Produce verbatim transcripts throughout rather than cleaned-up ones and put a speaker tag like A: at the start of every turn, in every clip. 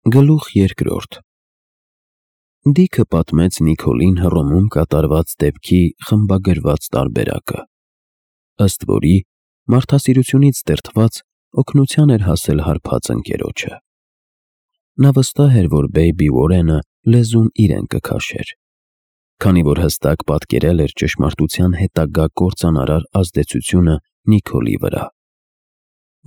A: Գլուխ երկրորդ Դիքը պատմեց Նիքոլին Հռոմում կատարված դեպքի խմբագրված տարբերակը, ըստ որի մարդասիրությունից դրդված օգնության էր հասել հարբած ընկերոջը։ Նա վստահ էր, որ Բեյբի Ուորենը լեզուն իրեն կքաշեր, քանի որ հստակ պատկերել էր ճշմարտության հետագա կործանարար ազդեցությունը Նիքոլի վրա։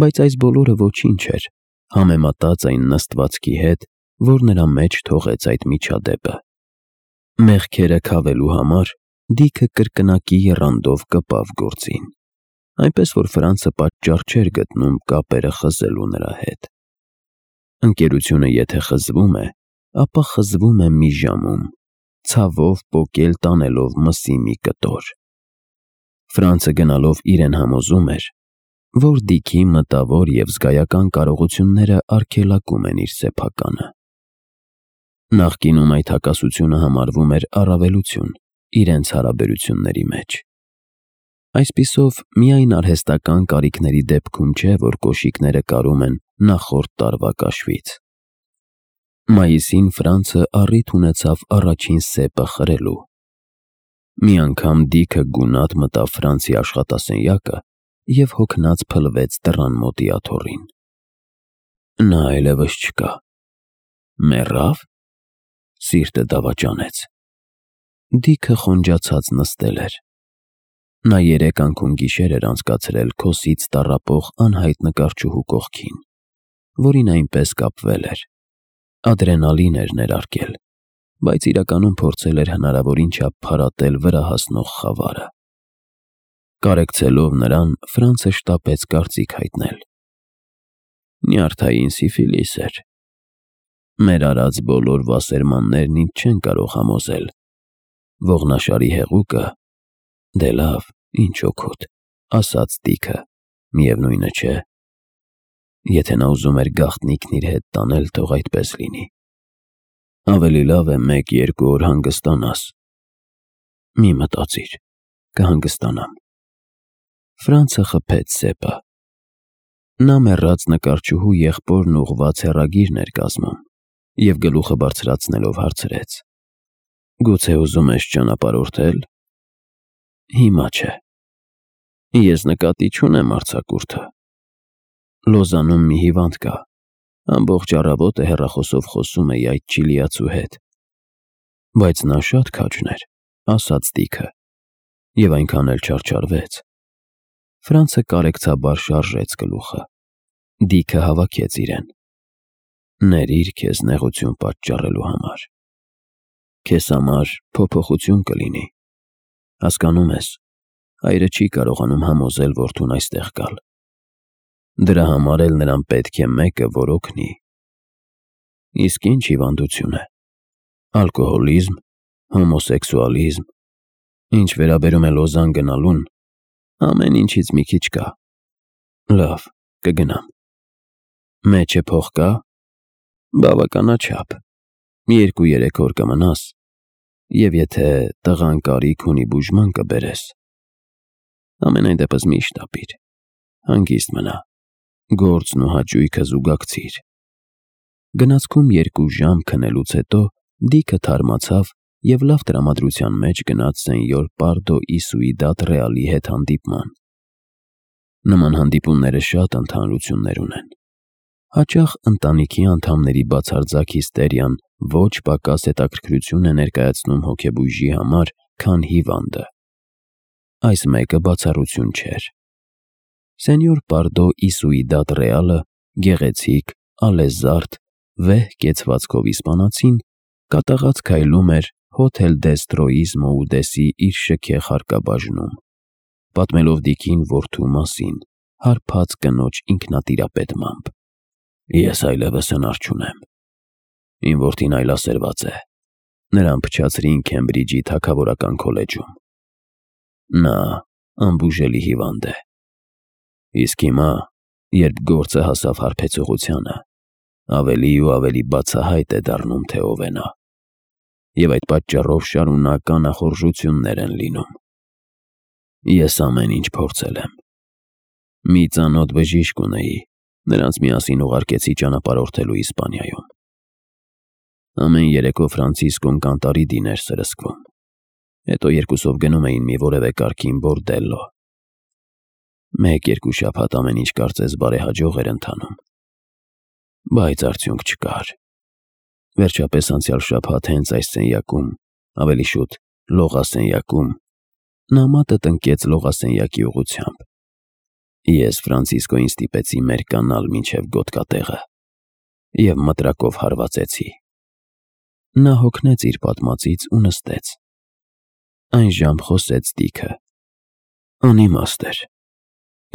A: Բայց այս բոլորը ոչինչ էր համեմատած այն նստվածքի հետ, որ նրա մեջ թողեց այդ միջադեպը։ Մեղքերը քավելու համար Դիքը կրկնակի եռանդով կպավ գործին, այնպես որ Ֆրանցը պատճառ չէր գտնում կապերը խզելու նրա հետ։ Ընկերությունը եթե խզվում է, ապա խզվում է մի ժամում, ցավով պոկել տանելով մսի մի կտոր։ Ֆրանցը գնալով իրեն համոզում էր, որ Դիքի մտավոր և զգայական կարողությունները արգելակում են իր սեփականը։ Նախկինում այդ հակասությունը համարվում էր առավելություն իրենց հարաբերությունների մեջ։ Այսպիսով, միայն արհեստական կարիքների դեպքում չէ, որ կոշիկները կարում են նախորդ տարվա կաշվից։ Մայիսին Ֆրանցը առիթ ունեցավ առաջին սեպը խրելու։ Մի անգամ Դիքը գունատ մտավ Ֆրանցի աշխատասենյակը և հոգնած փլվեց դռան մոտի աթոռին։ Նա այլևս չկա։ Մեռա՞վ։ Սիրտը դավաճանեց։ Դիքը խոնջացած նստել էր։ Նա երեք անքուն-գիշեր էր անցկացրել քոսից տառապող անհայտ նկարչուհու կողքին, որին այնպես կապվել էր։ Ադրենալին էր ներարկել, բայց իրականում փորձել էր հնարավորին չափ փարատել վրա հասնող խավարը։ Կարեկցելով նրան, Ֆրանցը շտապեց կարծիք հայտնել. Նյարդային սիֆիլիս էր։ Մեր արած բոլոր վասերմաններն ինձ չեն կարող համոզել։ Ողնաշարի հեղուկը, դե լավ, ինչ օգուտ, ասաց Դիքը, միևնույնը չէ։ Եթե նա ուզում էր գաղտնիքն իր հետ տանել, թող այդպես լինի։ Ավելի լավ է մեկ-երկու օր հանգստանաս։ Մի մտածիր, կհանգստանամ։ Ֆրանցը խփեց սեպը։ Նա մեռած նկարչուհու եղբորն ուղղված հեռագիրն էր կազմում և գլուխը բարձրացնելով հարցրեց. Գուցե ուզում ես ճանապարհորդել։ Հիմա չէ։ Ես նկատի չունեմ արձակուրդը։ Լոզանում մի հիվանդ կա, ամբողջ առավոտը հեռախոսով խոսում էի այդ չիլիացու հետ։ Բայց նա շատ քաջն էր, ասաց Դիքը, և այնքան էլ չարչարվեց։ Ֆրանցը կարեկցաբար շարժեց գլուխը։ Դիքը հավաքեց իրեն։ Ներիր քեզ նեղություն պատճառելու համար։ Քեզ համար փոփոխություն կլինի։ Հասկանում ես, հայրը չի կարողանում համոզել որդուն այստեղ գալ։ Դրա համար էլ նրան պետք է մեկը, որ օգնի։ Իսկ ինչ հիվանդություն է։ Ալկոհոլիզմ, հոմոսեքսուալիզմ։ Ինչ վերաբերում է Լոզան գնալուն, ամեն ինչից մի քիչ կա։ Լավ, կգնամ։ Մեջը փող կա։ Բավականաչափ։ Երկու-երեք օր կմնաս, և եթե տղան կարիք ունի բուժման կբերես։ Համենայն դեպս մի շտապիր։ Հանգիստ մնա։ Գործն ու հաճույքը զուգակցիր։ Գնացքում երկու ժամ քնելուց հետո Դիքը թարմացավ և լավ տրամադրության մեջ գնաց սենյոր Պարդո ի Սուիդադ Ռեալի հետ հանդիպման։ Նման հանդիպումները շատ ընդհանրություններ ունեն։ Հաճախ ընտանիքի անդամների բացարձակ հիստերիան ոչ պակաս հետաքրքրություն է ներկայացնում հոգեբույժի համար, քան հիվանդը։ Այս մեկը բացառություն չէր։ Սենյոր Պարդո ի Սուիդադ Ռեալը գեղեցիկ, ալեզարդ, վեհ կեցվածքով իսպանացին կատաղած քայլում էր Հոթել դես Մոուդեսի իր շքեղ հարկաբաժնում, պատմելով Դիքին որդու մասին, հարբած կնոջ ինքնատիրապետմամբ։ Ես այլևս հնար չունեմ։ Իմ որդին այլասերված է։ Նրան փչացրին Քեմբրիջի թագավորական քոլեջում։ Նա անբուժելի հիվանդ է։ Իսկ հիմա, երբ գործը հասավ հարբեցողությանը, ավելի ու ավելի բացահայտ է դառնում, թե ով է նա։ Եվ այդ պատճառով շարունակ անախորժություններ են լինում։ Ես ամեն ինչ փորձել եմ։ Մի ծանոթ բժիշկ ունեի, նրանց միասին ուղարկեցի ճանապարհորդելու Իսպանիայում։ Ամեն երեկո Ֆրանցիսկոն կանտարի դին էր սրսկվում, հետո երկուսով գնում էին մի որևէ կարգին բորդելլո։ Մեկ-երկու շաբաթ ամեն ինչ կարծես բարեհաջող էր ընթանում, բայց արդյունք չկար։ Վերջապես անցյալ շաբաթ հենց այս սենյակում, ավելի շուտ լողասենյակում, նա մատը տնկեց լողասենյակի ուղղությամբ։ Ես Ֆրանցիսկոյին ստիպեցի մեր կանալ մինչև գոտկատեղը և մտրակով հարվածեցի։ Նա հոգնեց իր պատմածից ու նստեց։ Այն ժամ խոսեց Դիքը։ Անիմաստ էր։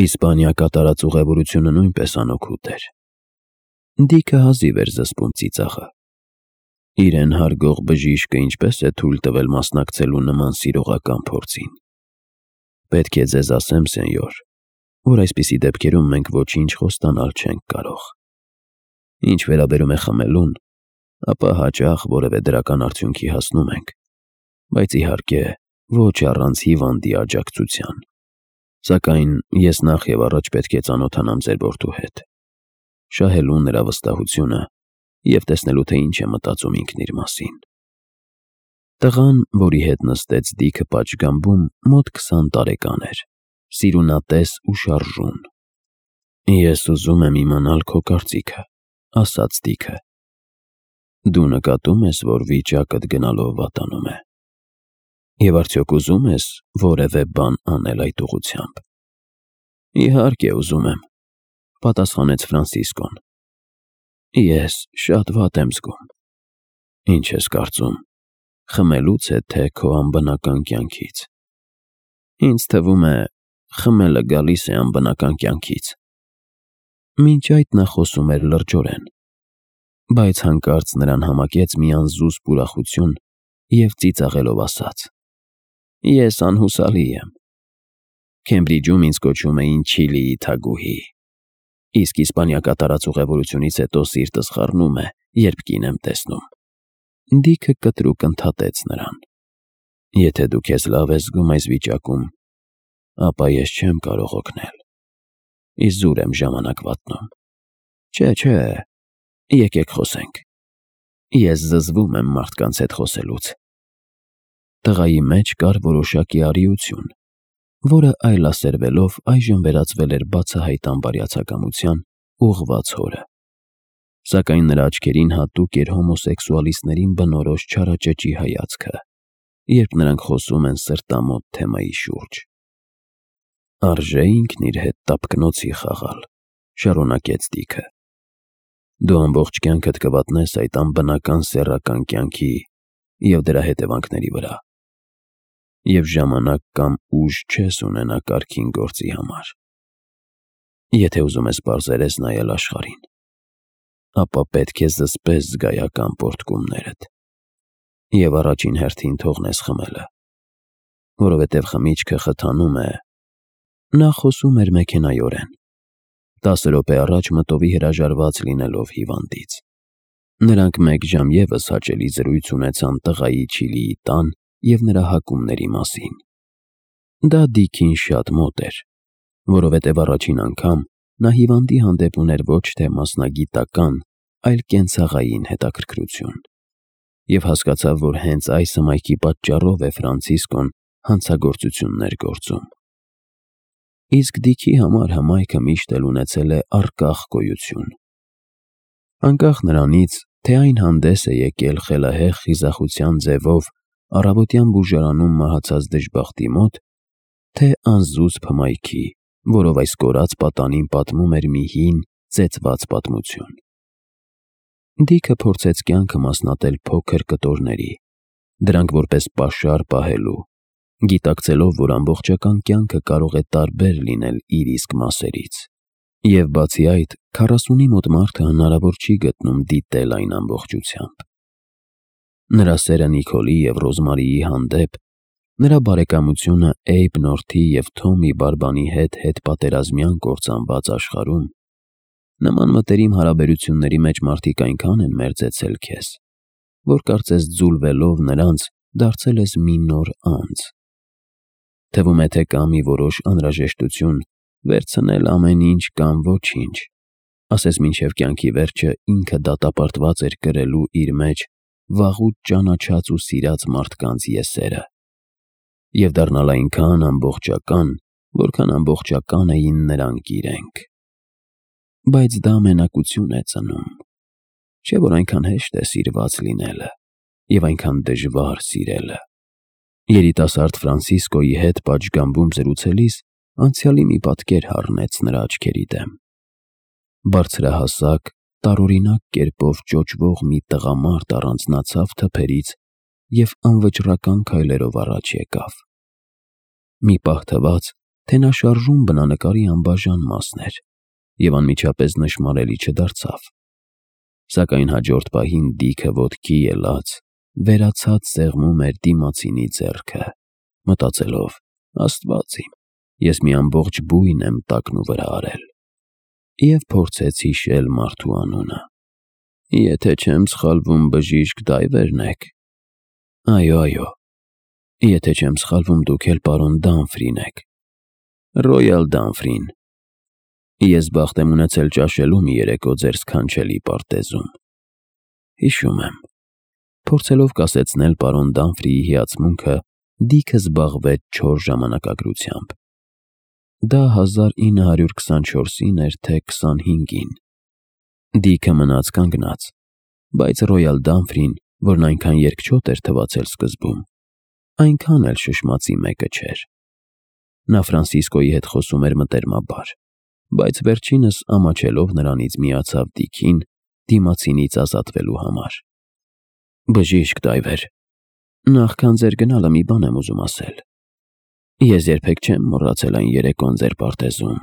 A: Իսպանիա կատարած ուղևորությունը նույնպես անօգուտ էր։ Դիքը հազիվ էր զսպում ծիծաղը։ Իրեն հարգող բժիշկը ինչպես է թույլ տվել մասնակցելու նման սիրողական փորձին։ Պետք է ձեզ ասեմ, սենյոր, որ այսպիսի դեպքերում մենք ոչինչ խոստանալ չենք կարող։ Ինչ վերաբերում է խմելուն, ապա հաճախ որևէ դրական արդյունքի հասնում ենք, բայց իհարկե ոչ առանց հիվանդի աջակցության։ Սակայն ես նախ և առաջ պետք է ծանոթանամ ձեր որդու հետ, շահելու նրա վստահությունը և տեսնելու, թե ինչ է մտածում ինքն իր մասին։ Տղան, որի հետ նստեց Դիքը պատշգամբում, մոտ քսան տարեկան էր, սիրունատես ու շարժուն։ Ես ուզում եմ իմանալ քո կարծիքը, ասաց Դիքը։ Դու նկատում ես, որ վիճակդ գնալով վատանում է։ Եվ արդյոք ուզում ես որևէ բան անել այդ ուղղությամբ։ Իհարկե ուզում եմ, պատասխանեց Ֆրանցիսկոն։ Ես շատ վատ եմ զգում։ Ինչ ես կարծում, խմելուց է, թե քո անբնական կյանքից։ Ինձ թվում է, խմելը գալիս է անբնական կյանքից։ Մինչ այդ նա խոսում էր լրջորեն, բայց հանկարծ նրան համակեց մի անզուսպ ուրախություն և ծիծաղելով ասաց. Ես անհուսալի եմ։ Քեմբրիջում ինձ կոչում էին Չիլիի թագուհի, իսկ Իսպանիա կատարած ուղևորությունից հետո սիրտս խառնում է, երբ կին եմ տեսնում։ Դիքը կտրուկ ընդհատեց նրան։ Եթե դու քեզ լավ ես զգում այս վիճակում, ապա ես չեմ կարող օգնել։ Իզուր եմ ժամանակ վատնում։ Չէ, չէ, եկեք խոսենք։ Ես զզվում եմ մարդկանց հետ խոսելուց։ Տղայի մեջ կար որոշակի արիություն, որը այլասերվելով այժմ վերածվել էր բացահայտ անբարյացակամության ուղղված հորը։ Սակայն նրա աչքերին հատուկ էր հոմոսեքսուալիստներին բնորոշ չարաճճի հայացքը, երբ նրանք խոսում են սրտամոտ թեմայի շուրջ։ Արժե ինքն իր հետ տափկնոցի խաղալ, շարունակեց Դիքը։ Դու ամբողջ կյանքդ կվատնես այդ անբնական սեռական կյանքի և դրա հետևանքների վրա, և ժամանակ կամ ուժ չես ունենա կարգին գործի համար։ Եթե ուզում ես պարզերես նայել աշխարհին, ապա պետք է զսպես զգայական պոռթկումներդ և առաջին հերթին թողնես խմելը, որովհետև խմիչքը խթանում է։ Նա խոսում էր մեքենայորեն, տասը րոպե առաջ մտովի հրաժարված լինելով հիվանդից։ Նրանք մեկ ժամ ևս հաճելի զրույց ունեցան տղայի Չիլիի տան և նրա հակումների մասին։ Դա Դիքին շատ մոտ էր, որովհետև առաջին անգամ նա հիվանդի հանդեպ ուներ ոչ թե մասնագիտական, այլ կենցաղային հետաքրքրություն, և հասկացավ, որ հենց այս հմայքի պատճառով է Ֆրանցիսկոն հանցագործություններ գործում։ Իսկ Դիքի համար հմայքը միշտ էլ ունեցել է առկախ գոյություն։ Անկախ նրանից, թե այն հանդես է եկել խելահեղ խիզախության ձևով առավոտյան բուժարանում մահացած դժբախտի մոտ, թե անզուսպ հմայքի, որով այս կորած պատանին պատմում էր մի հին, ծեծված պատմություն։ Դիքը փորձեց կյանքը մասնատել փոքր կտորների, դրանք որպես պաշար պահելու, գիտակցելով, որ ամբողջական կյանքը կարող է տարբեր լինել իր իսկ մասերից, և բացի այդ, քառասունի մոտ մարդը հնարավոր չի գտնում դիտել այն ամբողջությամբ։ Նրա սերը Նիքոլի և Ռոզմարիի հանդեպ, նրա բարեկամությունը Էյբ և Թոմի Բարբանի հետ հետպատերազմյան կործանված աշխարհում, նման մտերիմ հարաբերությունների մեջ մարդիկ այնքան են մերձեցել քեզ, որ կարծես ձուլվելով նրանց դարձել ես մի նոր անձ։ Թվում է, թե կա մի որոշ անհրաժեշտություն վերցնել ամեն ինչ կամ ոչինչ, ասես մինչև կյանքի վերջը ինքը դատապարտված էր կրելու իր մեջ վաղուց ճանաչած ու սիրած մարդկանց եսերը, և դառնալ այնքան ամբողջական, որքան ամբողջական էին նրանք իրենք։ Բայց դա մենակություն է ծնում, չէ՞ որ այնքան հեշտ է սիրված լինելը և այնքան դժվար սիրելը։ Երիտասարդ Ֆրանցիսկոյի հետ պատշգամբում զրուցելիս անցյալի մի պատկեր հառնեց նրա աչքերի դեմ։ Բարձրահասակ, տարօրինակ կերպով ճոճվող մի տղամարդ առանձնացավ թփերից և անվճռական քայլերով առաջ եկավ։ Մի պահ թվաց, թե նա շարժուն բնանկարի անբաժան մասն էր և անմիջապես նշմարելի չդարձավ։ Սակայն հաջորդ պահին Դիքը ոտքի ելած, վերացած սեղմում էր դիմացինի ձեռքը, մտածելով. «Աստված իմ, ես մի ամբողջ բույն եմ տակնուվրա արել»։ Եվ փորձեց հիշել մարդու անունը։ «Եթե չեմ սխալվում, բժիշկ Դայվերն եք»։ «Այո, այո»։ «Եթե չեմ սխալվում, դուք էլ պարոն Դամֆրին եք»։ «Ռոյալ Դամֆրին»։ «Ես բախտ եմ ունեցել ճաշելու մի երեկո ձեր սքանչելի պարտեզում»։ «Հիշում եմ»։ Փորձելով կասեցնել պարոն Դամֆրիի հիացմունքը, Դիքը զբաղվեց չոր ժամանակագրությամբ։ Դա հազար ինը հարյուր քսանչորսին էր, թե քսանհինգին։ Դիքը մնաց կանգնած, բայց Ռոյալ Դամֆրին, որն այնքան երկչոտ էր թվացել սկզբում, այնքան էլ շշմածի մեկը չէր։ Նա Ֆրանցիսկոյի հետ խոսում էր մտերմաբար, բայց վերջինս ամաչելով նրանից միացավ Դիքին դիմացինից ազատվելու համար։ «Բժիշկ Դայվեր, նախքան ձեր գնալը մի բան եմ ուզում ասել։ Ես երբեք չեմ մոռացել այն երեկոն ձեր պարտեզում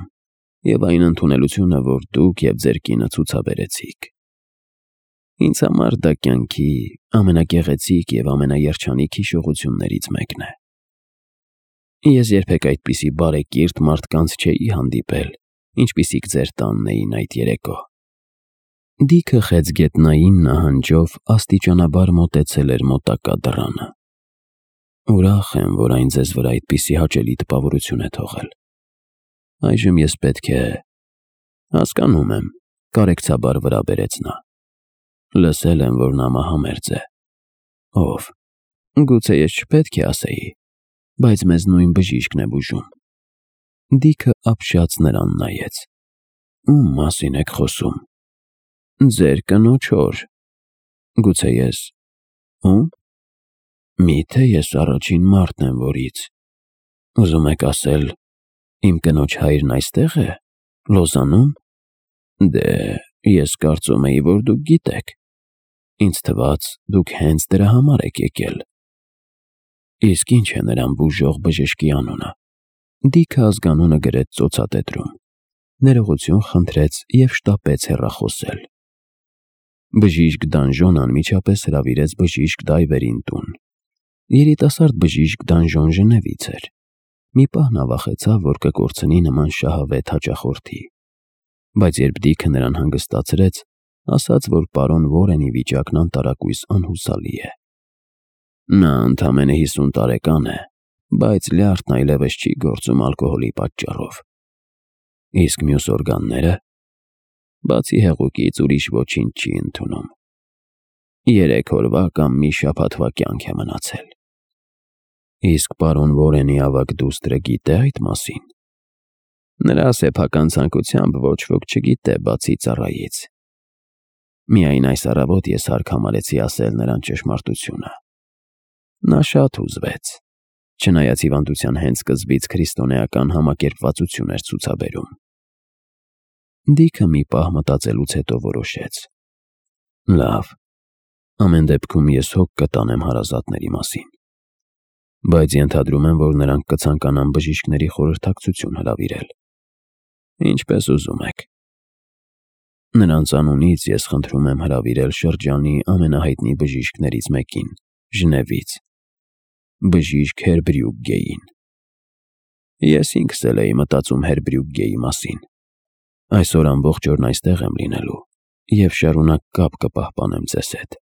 A: և այն ընդունելությունը, որ դուք և ձեր կինը ցուցաբերեցիք։ Ինձ համար դա կյանքի ամենագեղեցիկ և ամենաերջանիկ հիշողություններից մեկն է։ Ես երբեք այդպիսի բարեկիրթ մարդկանց չէի հանդիպել, ինչպիսիք ձեր տանն էին այդ երեկո»։ Դիքը խեցգետնային նահանջով աստիճանաբար մոտեցել էր մոտակա դռանը։ «Ուրախ եմ, որ այն ձեզ վրա այդպիսի հաճելի տպավորություն է թողել։ Այժմ ես պետք է…» «Հասկանում եմ», կարեկցաբար վրա բերեց նա։ «Լսել եմ, որ նա մահամերձ է»։ «Ով»։ «Գուցե ես չպետք է ասեի, բայց մեզ նույն բժիշկն է բուժում»։ Դիքը ապշած նրան նայեց։ «Ում մասին եք խոսում»։ «Ձեր կնոջ հոր»։ «Գուցե ես… Ո՞ւմ»։ «Մի՞թե ես առաջին մարդն եմ, որից… Ուզում եք ասել, իմ կնոջ հայրն այստեղ է, Լոզանում։ Դե, ես կարծում էի, որ դուք գիտեք։ Ինձ թվաց, դուք հենց դրա համար եք եկել»։ «Իսկ ի՞նչ է նրան բուժող բժշկի անունը»։ Դիքը ազգանունը գրեց ծոցատետրում, ներողություն խնդրեց և շտապեց հեռախոսել։ Բժիշկ Դանժոնը անմիջապես հրավիրեց բժիշկ Դայվերին տուն։ Երիտասարդ բժիշկ Դանժոն Ժնևից էր։ Մի պահ նա վախեցավ, որ կկորցնի նման շահավետ հաճախորդի, բայց երբ Դիքը նրան հանգստացրեց, ասաց, որ պարոն Վորենի վիճակն անտարակույս անհուսալի է։ Նա ընդամենը հիսուն տարեկան է, բայց լյարդն այլևս չի գործում ալկոհոլի պատճառով։ Իսկ մյուս օրգանները… Բացի հեղուկից ուրիշ ոչինչ չի ընդունում։ Երեք օրվա կամ մի շաբաթվա կյանք է մնացել։ Իսկ պարոն Վորենի ավագ դուստրը գիտե այդ մասին։ Նրա սեփական ցանկությամբ ոչ ոք չգիտե, բացի ծառայից։ Միայն այս առավոտ ես հարկ համարեցի ասել նրան ճշմարտությունը։ Նա շատ հուզվեց, չնայած հիվանդության հենց սկզբից քրիստոնեական համակերպվածություն էր ցուցաբերում։ Դիքը մի պահ մտածելուց հետո որոշեց. «Լավ, ամեն դեպքում ես հոգ կտանեմ հարազատների մասին, բայց ենթադրում եմ, որ նրանք կցանկանան բժիշկների խորհրդակցություն հրավիրել։ Ինչպես ուզում եք։ Նրանց անունից ես խնդրում եմ հրավիրել շրջանի ամենահայտնի բժիշկներից մեկին, Ժնևից, բժիշկ Հերբրյուգգեին։ Ես ինքս էլ էի մտածում Հերբրյուգգեի մասին։ Այսօր ամբողջ օրն այստեղ եմ լինելու և շարունակ կապ կպահպանեմ ձեզ հետ»։